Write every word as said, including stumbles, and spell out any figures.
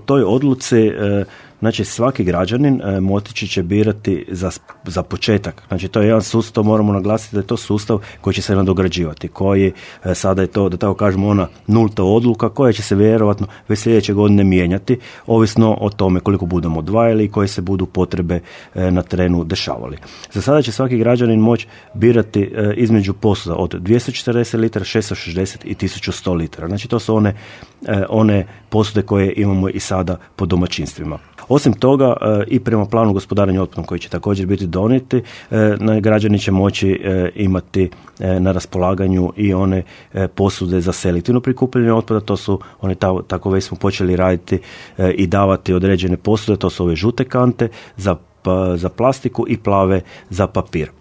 toj odluci znači svaki građanin e, moći će birati za, za početak. Znači to je jedan sustav, moramo naglasiti da je to sustav koji će se nadograđivati, koji e, sada je to, da tako kažemo, ona nulta odluka koja će se vjerojatno već sljedeće godine mijenjati, ovisno o tome koliko budemo odvajali i koje se budu potrebe e, na terenu dešavali. Za sada će svaki građanin moći birati e, između posuda od dvjesto četrdeset litara, šesto šezdeset i tisuću sto litara. Znači to su one, e, one posude koje imamo i sada po domaćinstvima. Osim toga, i prema planu gospodarenja otpadom koji će također biti donijeti, građani će moći imati na raspolaganju i one posude za selektivno prikupljanje otpada, to su one, tako već smo počeli raditi i davati određene posude, to su ove žute kante za za plastiku i plave za papir.